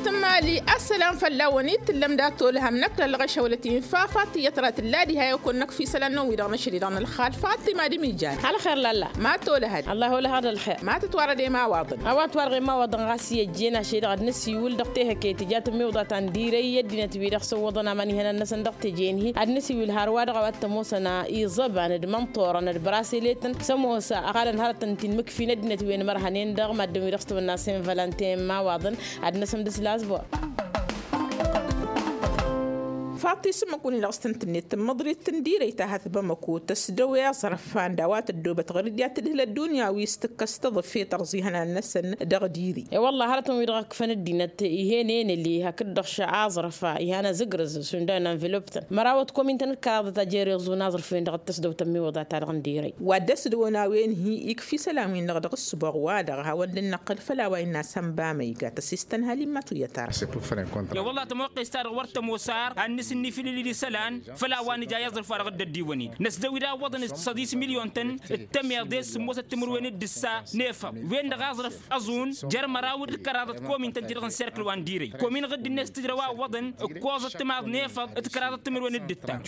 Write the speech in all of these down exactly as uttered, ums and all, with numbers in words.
Tǝmmali ăssălam fălla-wăn-i t-tǝllăm dat-olăhăm năkk lălɣăšăwlăt-in fafa tiyyăt ra tǝlla diha i-okănnăk fi isălan-năwăn-wi-dăɣ năšăl-i-dăɣ n-ălxal fatima d-imijal. Ălxer lalla ma t-olăhăd. Ăllah olăhăd ălxer ma tǝtwarăd i-imawaḍăn. A-wa tǝtwarăd i-imawaḍăn ɣas i-ăjjeen ašăl-i-dăɣ ad-năsiwǝl dăɣ-tehăke tǝja tǝmmiwḍa ta n-dirăy i-ăddinăt-wi-dăɣ săwwăḍăn aman ihănan-năsăn dăɣ-teje-in-hi ad-năsiwǝl har wa dăɣ-a-wa t-ămoosăn iẓăban d-imănṭorăn d-braseletăn s-ămoos ăɣalăn hărătăn ti n-imǝkfi n-ăddinăt wi ănmărhănen dăɣ-maddǝn-wi-dăɣ s-tăwănna sen valănten imawaḍăn. Ad-năsăm d-slasbor. Faḍt-i s-ǝmmǝk-win-dăɣ s-tăn-tǝnnet tǝmmăḍrit n-dirăy ta hăt bamăko tăsdăw i-aẓrăf anda wa tăddoobăt ɣur-dd i-ad-tǝdhǝl ăddunya wi s-tǝkkăs tăḍǝfe tărẓihăn ad-năsăn dăɣ-diri. I-wălla hărătăn-wi-dăɣ ǝkfăn ăddinăt ih'-en enăli hakd-dăɣ šăɣ aẓrăf ihan azǝgrǝz šund a n-anvăloptăn măraw t-komintăn d-kăraḍăt a jer-iẓun aẓrǝf-wen-dăɣ d-tăsdăw tămmiwăḍa-ta-dăɣ n-dirăy. Wa dd-ăsdăwăn a-wen-hi ikf' isălan-win-dăɣ dăɣ-ǝssǝboɣ-wa-dăɣ a hawăn-dd-năqqǝl făll-a-wa innă a-s ănba măyga tăsistăn hal-immăt wi ătara. I-wălla tămoqqes-ta-dăɣ wăr tămoos ar ad-nǝsǝnnifǝlǝl-dd isălan făll-a-wa nǝja i-aẓrǝf-wa-dăɣ dd-ăddiwăn-in năsdăw-dd a ǝwwăḍăn s-săḍis milyon-tăn d-tămeḍe s-sǝmmosăt timǝrwen d-ǝssa n-efăḍ wen-dăɣ aẓrǝf ăẓun jer-măraw d-kăraḍăt komin-tăn-ti-dăɣ n-serkǝl wa n-dirăy komin ɣǝdd-net tǝjrăw a ǝwwăḍăn ǝkkoẓăt timaḍ n-efăḍ d-kăraḍăt timǝrwen d-ǝttan.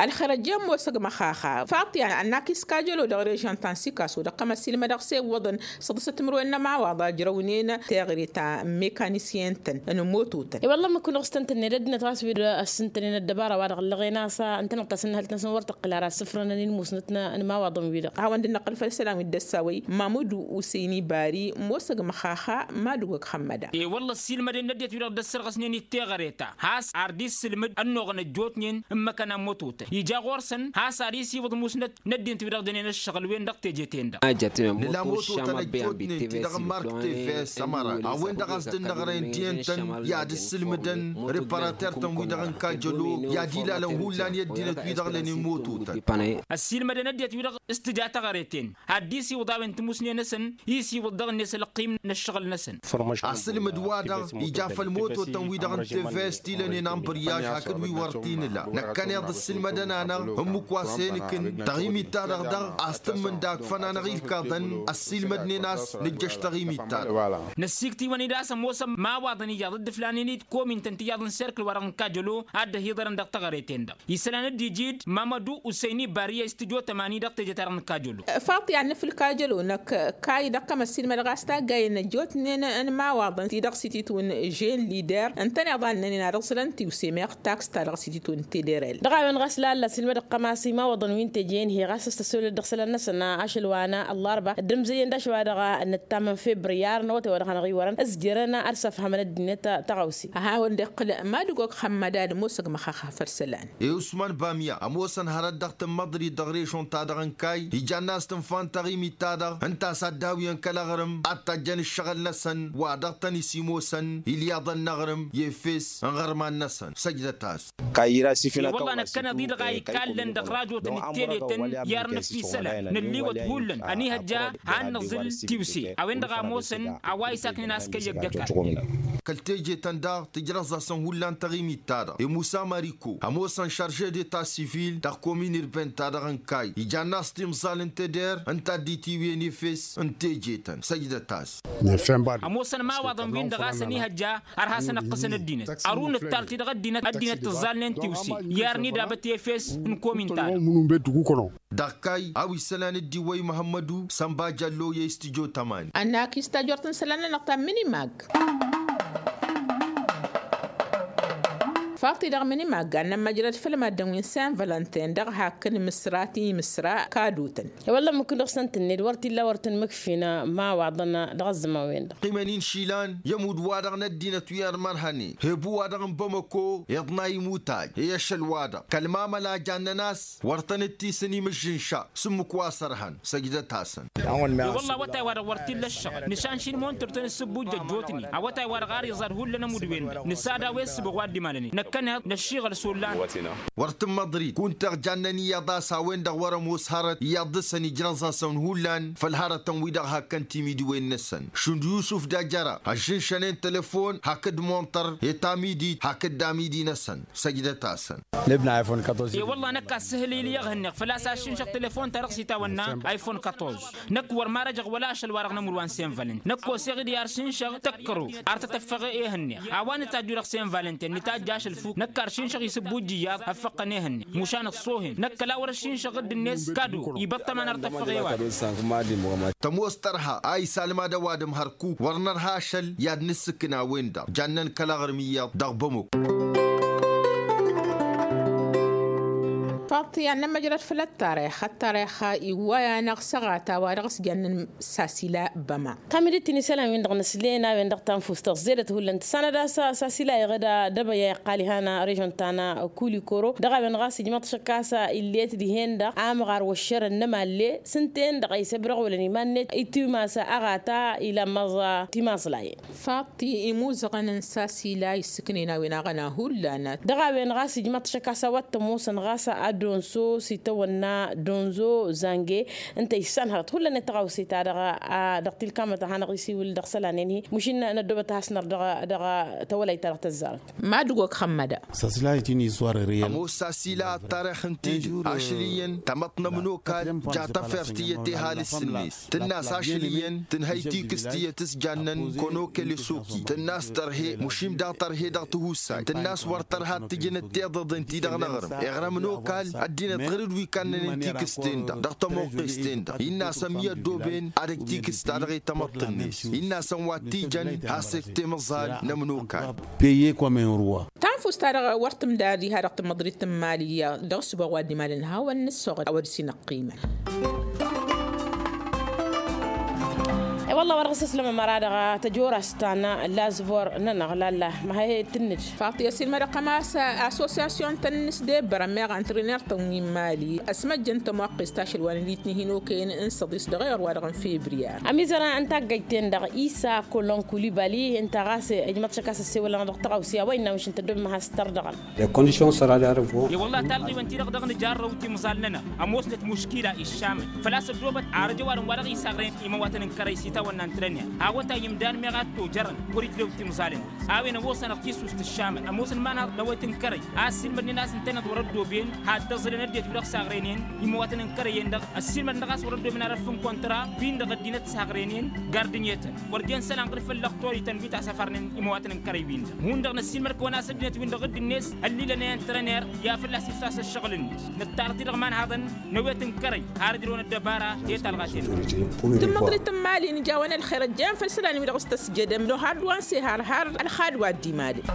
Ălxer ăjjeen mosăg măxaxa faḍt-i annak iskajălo dăɣ-režăn ta n-sikaso dăɣ-kămăsilmădăɣ s-e ǝwwăḍăn săḍǝsăt timǝrwen n-ămawaḍ a ǝjrăwnen teɣre ta n-mekanisyen-tăn n-imototăn. I-wălla ǝmmǝk-win-dăɣ s-tăn-tǝnned ăddinăt ɣas wi-dăɣ ăssintănen ăddăbara-wa-dăɣ ǝllăɣen a-s ǝntăneḍ-t a-s ǝnnăhăl-tăn-săn wăr tǝqqǝl ara ăssǝfrănăn i-ǝlmusnăt n-imawaḍăn-wi-dăɣ. Hawăn-dd-năqqǝl făll-isălan wi dd-ăssawăy mamădu usăyni bari mosăg măxaxa. Madugăg xămmăda. I-wălla ăssiilmăden n-ăddinăt-wi-dăɣ dd-ăssărɣăsnen i-teɣăre ta has-ar dd-issǝlmǝd ănnuɣăn ăjjootnen n-imăkăna n-mototăn ija ɣur-săn has-ar isiwǝḍ musnăt n-ăddinăt-wi-dăɣ dănen ăššăɣǝl-wen dăɣ-teje-ten-dăɣ. Nǝla mototăn ăjjootnen ti-dăɣ n-mark teves ămăra a-wen-dăɣ a-s dd-ǝnnăɣrăyăn diyyăn-tăn i-ad-ǝssǝlmǝdăn reparater-tăn-wi-dăɣ n-kajălo i-ad-ilalăn hullan i-ăddinăt-wi-dăɣ lănen mototăn. Ăssiilmădăn ăddinăt-wi-dăɣ s-tǝja teɣăre-ten ad-dd-isiwǝḍ a-wen timusne-năsăn isiwǝḍ dăɣ-net ălqim n-ăššăɣǝl-năsăn. Asǝlmǝd-wa-dăɣ ija făll-mototăn-wi-dăɣ n-tevest ti lănen anbǝryaž hakd wi wăr t-inǝla năkkăneḍ ǝssǝlmădăn-anăɣ ǝmmǝk wa s-henǝkǝn taɣimit-ta-dăɣ daɣ a-s tǝmmǝnda akfăn-anăɣ ilkaḍăn. Ăssiilmădnen a-s nǝjjăš taɣimit-ta-dăɣ. Năssiiktiwăn-dd a-s ămoosăn imawaḍăn ijaḍ dd-ǝflanen-dd komin-tăn tijaḍ n-serkǝl-wa-dăɣ n-kajălo ad-dd-ăhiḍărăn dăɣ-teɣăre-ten-dăɣ isălan dd-iji-dd mamădu usăyni bariya i-s tǝjo tămani dăɣ-teje-ta-dăɣ n-kajălo. Faḍt-i ad-nǝfǝl kajălo năkk kay dăɣ-kămăssin mădăɣ a-s taggayăn ăjjootnen n-imawaḍăn ti dăɣ-sititun žen lider ǝntăneḍ a ǝnnănen ad-ǝẓẓǝlăn tiwse meɣ taks-ta dăɣ-sititun tederel. Dăɣ-a-wen ɣas lalla s-ilmădăɣ kămas imawaḍăn wi n-teje-in-hi ɣas a-s tăssolăd dăɣ-isălan-năsăn ašăl wa n-ăllarba dd-ǝmzăyăn d-ašwa dăɣ-nǝttam n-febriyar n-awătay wa dăɣ-hanăɣ-iwărăn ǝzjărăn ad-săfhămăn ăddinăt tăɣawse. A hawăn-dd-iqqǝl madǝgog xămmădad mosăg măxaxa făll-isălan. I-usman bamya ămoosăn hărăt dăɣ-tǝmmăḍrit dăɣ-režon-ta-dăɣ n-kay ijann'-as tǝnfa n-taɣimit-ta-dăɣ ǝnta a-s ad-dd-hawǝyăn kăl-aɣrǝm ad-tajjăn ǝššăɣǝl-năsăn wa dăɣ-tăn-isimusăn ilyaḍăn n-aɣrǝm i-efes n-iɣărman-năsăn săjdăt-as. I-wălla năkkăneḍ-i-dăɣ a ikallăn dăɣ-rajotăn d-teletăn i-arnăf isălan nălliwăt hullan ănihăjja han năẓǝl tiwse a-wen-dăɣ a ămoosăn a-wa isaknen a-s kăyyăgg ăkall. Kăl-teje-tăn daɣ tǝjrăẓ-asăn hullan taɣimit-ta-dăɣ i-musa mariko ămoosăn šarže de ta sivil dăɣ-komin irben-ta-dăɣ n-kay ijann'-as timẓal n-teder ǝnta a dd-itiwǝyăn efes n-teje-tăn săjdăt-as. Ămoosăn imawaḍăn-win-dăɣ a-s ănihăjja ărha a-s ănăqqăsăn ăddinăt ărun ǝttar-ti-dăɣ ăddinăt ăddinăt tǝẓẓalnen tiwse i-arni d-abăt efes n-komin-ta-dăɣ. Dăɣ-kay a-wa isălan dd-iwwăy muhămmădu sănba jăllo i-s tǝjo tămani. Ănnak-i s-tajort n-isălan-nănăɣ ta n-minimag. Faḍt-i dăɣ-minimag a n-nămmăjrăd făll-maddǝn wi n-sen vălănten dăɣ-hak n-imǝsra ti imǝsra kadutăn. I-wălla ǝmmǝk-win-dăɣ s-tăn-tǝnned wăr t-illa wăr tăn-mǝkfin imawaḍăn dăɣ-ăzzăman-wen-dăɣ. Ăqqiimăn-in išilan i-ămudd-wa-dăɣ n-ăddinăt wi ărmărhănen hebu-wa-dăɣ n-bamăko iḍnay imutay i-ašăl-wa-dăɣ kăl-mamăla a jannen a-s wăr tăn-dd-tisǝn imǝžžǝnša s-ǝmmǝk wa s-ărhăn săjdăt-asăn. I-wălla awătay-wa-dăɣ wăr t-illa ǝššăɣǝl nǝšanšin montor-tăn ǝssǝbbujjăj jotnen awătay-wa-dăɣ ar iẓad hullan ămudd-wen-dăɣ nǝsad a-wa issǝbăɣ wa dd-imalănen. kăneḍ năššiɣăl s-ullan. Wăr tǝmmăḍrit kunta jannen iyyăḍ a-s a-wen-dăɣ wăr-ămoos hărăt iyyăḍ dăr-săn ijrăẓ-asăn hullan făll-hărătăn-wi-dăɣ hakkăn timidiwen-năsăn šund yusuf d-ajăra ăžžǝnšănen telefon hakd muntăr i-tamidit hakd amidi-năsăn. Săjdăt-asăn. E-wălla năkk a-s sǝhǝl-i-li iyyăḍ hǝnneɣ făl-a-s ašǝnšăɣ telefon-ta-dăɣ s-itawănna iphone katorz. Năkk wăr marăjăɣ wăla ašăl-wa-dăɣ n-ămǝrwa n-sen valent năkk oseɣ-dd i-aršǝnšăɣ tăkkăro ar tăt-ăffăɣ. E-hǝnneɣ a-wa nǝtajju dăɣ-sen valent-en nǝtajj ašăl fuk năkk aršǝnšăɣ isǝbbujj iyyăḍ ăffăɣ-tăn e-hǝnneɣ mušan ăṣṣoohen năkk ăla wăr-ăššǝnšăɣ dd-net kado ibăṭṭăman ar tăffăɣ e-wa-dăɣ. Tămoos tărha a isalmad ăwadǝm hărkuk wăr nărha ašăl i-ad-nǝssǝkna a-wen-dăɣ jannen kăl-aɣrǝm iyyăḍ dăɣ-bămuk. Faḍt i-ad-nămmăjrăd făll-ăttarix ăttarix iwway-anăɣ săɣata wa dăɣ-s jannen sasila băma. Tamidit-in isălan-win-dăɣ nǝslen a-wen-dăɣ tanfust tăẓẓedăt hullan tǝssanăd a-s sasila iɣăd ad-ăbăy a iqqal ihăn režon ta n-kulikoro dăɣ-a-wen ɣas ijmăḍ šăkk a-s illet dihen-dăɣ amɣar wăššărăn n-ămalle s-ǝnta-en-dăɣ a isăbrăɣolăn iman-net itimas aɣata ilamăẓ timaẓlayen. Faḍt imuzăɣăn n-sasila issǝknen a-wen aɣăna hullan. Dăɣ-a-wen ɣas ijmăḍ šăkk a-s a-wa t-ămoosăn ɣas ad-donso s-itawănna donzo zange. Ǝnta issanhărăt hullan i-tăɣawse-ta-dăɣ a dăɣ-tilkamăt a hanăɣ-isiwǝl dăɣ-isălan-en-hi mušin năddoobăt a has-năr dăɣ-tawălayt-ta-dăɣ tăzzarăt. Mad-ǝgg okăxămmăda. Sasila itin iswar riyăl. Ămoos sasila ăttarix ǝnta-i-dăɣ ašăl iyyăn tamăḍt n-ămănokal ja tafert iyyăt ehal s-sǝnnes tǝnn'-as ašăl iyyăn tǝnhăy tikǝst iyyăt s-jannen konokel i-suki tǝnn'-as tărhe mušim daɣ tărhe dăɣ-tihusay tǝnn'-as wăr tărha ad-tǝjǝnăt tiḍăḍen-ti-dăɣ n-aɣrǝm iɣrămăn okal ăddinăt ɣur-dd wi kannănen tikǝst-ten-dăɣ dăɣ-tămoqqes-ten-dăɣ innă a-s ămmi ăddooben ad-ăj tikǝst-ta-dăɣ i-tamăḍt-net innă a-s ănwa t-ijăn has-eg timǝẓal n-ămnokal. Peye kăwăm-en ruwa. Tanfust-ta-dăɣ wăr tǝmdar diha dăɣ-tamăḍrit n-imali dăɣ-ăssubaɣ wa dd-imalăn hawăn-nǝssoɣăt a-wa dăɣ-s inăqqimăn. I-wălla wa dăɣ-s-ăslămăm ara dăɣ-tăjorast ta n-lazbor-nănăɣ lalla ma he-tǝnnǝd. Faḍt i-ăsilmădăɣ-tăn a-s assosyasyon-tăn n-asdebbărăn meɣ antriner-tăn wi n-imali ăsmăjjăn tămoqqest ašăl wa n-ălitni hin-okăyăn n-săḍis dăɣ-eɣăr-wa-dăɣ n-febriyar. Ămizăra n-taggăyt-ten-dăɣ isa kolon kulibali ǝnta ɣas ijmăḍ šăkk a-s ăssewălăn dăɣ-tăɣawse a-wa innă măšin tăddob imăhas tărdăɣăn. I-wălla talɣiwen-ti-dăɣ dăɣ-nǝjarrăw timẓal-nănăɣ ămoosnăt muškila iššamăn făl-a-s ăddoobăt arăj ăwadǝm wa dăɣ-isaɣren imăwatăn n-kărăy s-itawănna n-trăner a-wa ta imdan meɣ ad-tojărăn wăr-ijrew timẓal-net. A-wen ămoosănăɣ tisust ǝššamăn ămoosăn imanhaḍ n-awăyăt n-kărăy a ăssiilmădnen a-s ǝntăneḍ wăr-ăddooben. Had-ăẓǝlăn ăddinăt wi-dăɣ saɣrenen imăwatăn n-kărăy-en-dăɣ ăssiilmădnăɣ a-s wăr-ăddooben arăf n-kontra-win-dăɣ ăddinăt saɣrenen gard-net-tăn wăr jen isălan ɣǝr-făll-lăxtor-ităn wi tasăfarnen imăwatăn n-kărăy-win-dăɣ hundăɣ năssiilmăd-kăwăn a-s ăddinăt-win-dăɣ dd-net ăllilăn i-antrăner i-ad-fălla-s iftas ăššăɣǝl-net. Nǝttarăt-i-dăɣ imanhaḍăn n-awăyăt n-kărăy har ǝjrăwăn ăddăbara i-talɣa-ten-dăɣ. Tǝmmăḍrit n-imali n-ija a-wen ălxer ăjjeen făll-isălan-wi-dăɣ s-tăsjădăm d-ohad wa n-sehar har ălxad wa dd-imalăn.